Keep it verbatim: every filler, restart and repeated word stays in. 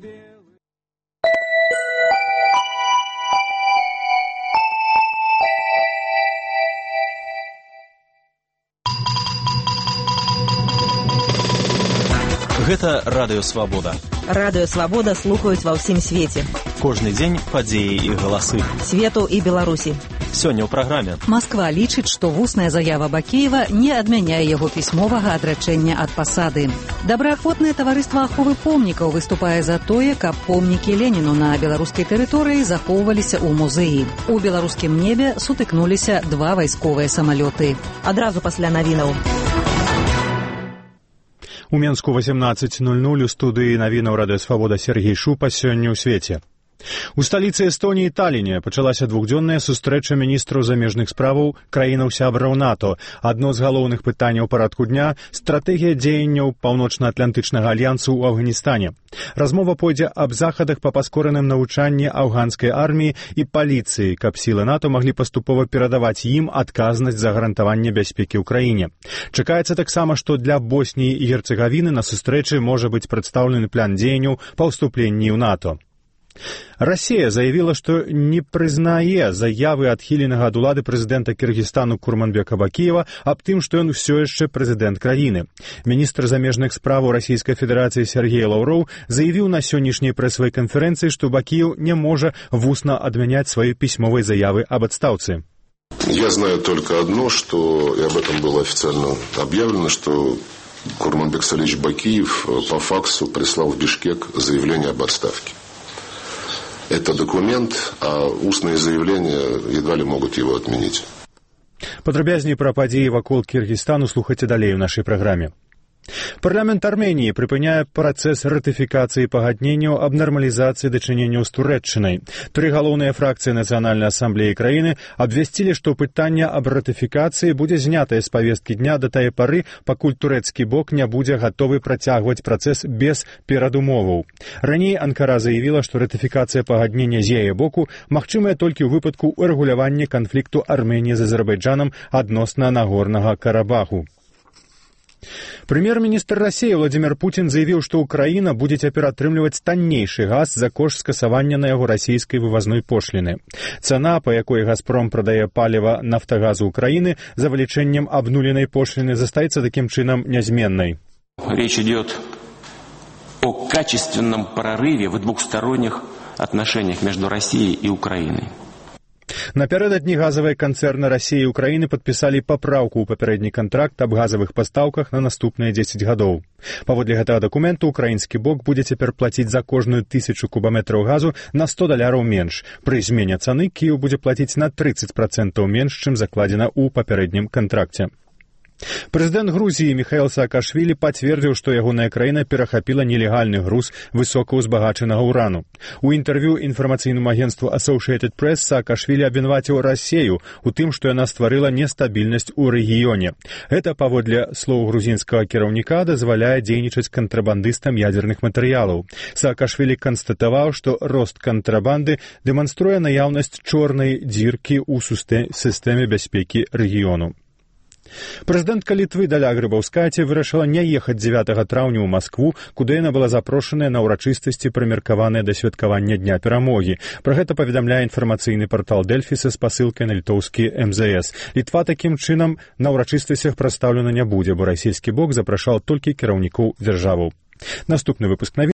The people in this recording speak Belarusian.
Гэта Радыё Свабода. Радыё Свабода слухаюць ва ўсім свеце. Кожны дзень падзеі і галасы. Свету і Беларусі. Сёння ў праграме. Масква лічыць, што вусная заява Бакеева не адмяняе яго пісьмовага адрачэння ад пасады. Добраахвотнае таварыства аховы помнікаў выступае за тое, каб помнікі Леніну на беларускай тэрыторыі захоўваліся ў музеі. У беларускім небе сутыкнуліся два вайсковыя самалёты. Адразу пасля навінаў. У Менску восемнадцать ноль ноль у студыі навінаў Радыё Свабода Сергей Шупа сёння ў свеце. У сталіцы Эстоніі Таліне пачалася двухдзённая сустрэча міністраў замежных справаў краінаў-сябраў НАТО. Адно з галоўных пытанняў парадку дня – стратэгія дзеянняў Паўночна-Атлантычнага альянсу ў Афганістане. Размова пойдзе аб захадах па паскораным навучанні афганскай арміі і паліцыі, каб сілы НАТО маглі паступова перадаваць ім адказнасць за гарантаванне бяспекі ў краіне. Чакаецца таксама, што для Босніі і Герцегавіны на сустрэчы можа быць прадстаўлены план дзеянняў па ўступленні ў НАТО. Россия заявила, что не признае заявы адхіленага ад улады прэзідэнта Кыргызстану Курманбека Бакиева аб тым, што ён усё яшчэ прэзідэнт краіны. Міністр замежных справаў Расійскай Федэрацыі Сергей Лаўроў заявіў на сённяшняй прэсавай канферэнцыі, што Бакиев не можа вусна адмяняць свае пісьмовай заявы об адстаўцы. Я знаю только одно, что, и об этом было официально объявлено, что Курманбек Салич Бакиев по факсу прислал в Бишкек заявление об отставке. Это документ, а устные заявления едва ли могут его отменить. Падрабязней пра падзеі вакол Кыргызстану слухайце далей у нашай праграме. Парламент Армении прыпыняе працэс ратыфікацыі пагадненняў аб нармалізацыі дачыненняў з Турэччынай. Тры галоўныя фракцыі Нацыянальнай асамблеі краіны абвясцілі, што пытанне аб ратыфікацыі будзе знятае з павесткі дня да тае пары, пакуль турэцкі бок не будзе гатовы працягваць працэс без перадумоваў. Раней Анкара заявіла, што ратыфікацыя пагаднення з яе боку магчымая толькі ў выпадку урэгулявання канфлікту Арменіі з Азербайджанам адносна Нагорнага Карабаху. Прэм'ер-міністр России Владимир Путин заявіў, што Украіна будзе цяпер атрымліваць таннейшы газ за кошт скасавання на яго расійскай вывазной пошліны. Цана, па якой «Газпром» прадае паліва «Нафтагазу» Украіны за вылічэннем абнуленай пошліны, застаецца такім чынам нязменнай. Речь идет о качественном прорыве в двухсторонних отношениях между Россией и Украиной. Напярэдадні газавыя канцэрны Расіі і Украіны падпісалі папраўку ў папярэдні кантракт аб газавых пастаўках на наступныя дзесяць гадоў. Паводле гэтага дакументу украінскі бок будзе цяпер плаціць за кожную тысячу кубаметраў газу на сто даляраў менш. Пры змене цаны Кіеў будзе плаціць на трыццаць працэнтаў менш, чым закладзена ў папярэднім кантракце. Прэзідэнт Грузіі Міхаіл Саакашвілі пацвердзіў, што ягоная краіна перахапіла нелегальны груз высокаўзбагачанага ўрану. У інтэрв'ю інфармацыйнаму агенству Associated Press Саакашвілі абвінаваціў Расію у тым, што яна стварыла нестабільнасць у рэгіёне. Гэта, паводле слоў грузінскага кіраўніка, дазваляе дзейнічаць кантрабандыстам ядзерных матэрыялаў. Саакашвілі канстатаваў, што рост кантрабанды дэманструе наяўнасць чорнай дзіркі ў сістэме бяспекі рэгіёну. Прэзідэнтка Літвы Даля Грыбаўскаце вырашыла не ехаць дзевятага траўня ў Маскву, куды яна была запрошаная на ўрачыстасці, прымеркаваныя да святкавання Дня перамогі. Пра гэта паведамляе інфармацыйны партал Дэльфі са спасылкай на літоўскі эм зэ эс. Літва такім чынам на ўрачыстасцях прадстаўлена не будзе, бо расійскі бок запрашаў толькі кіраўнікоў дзяржаваў. Наступны выпуск навін.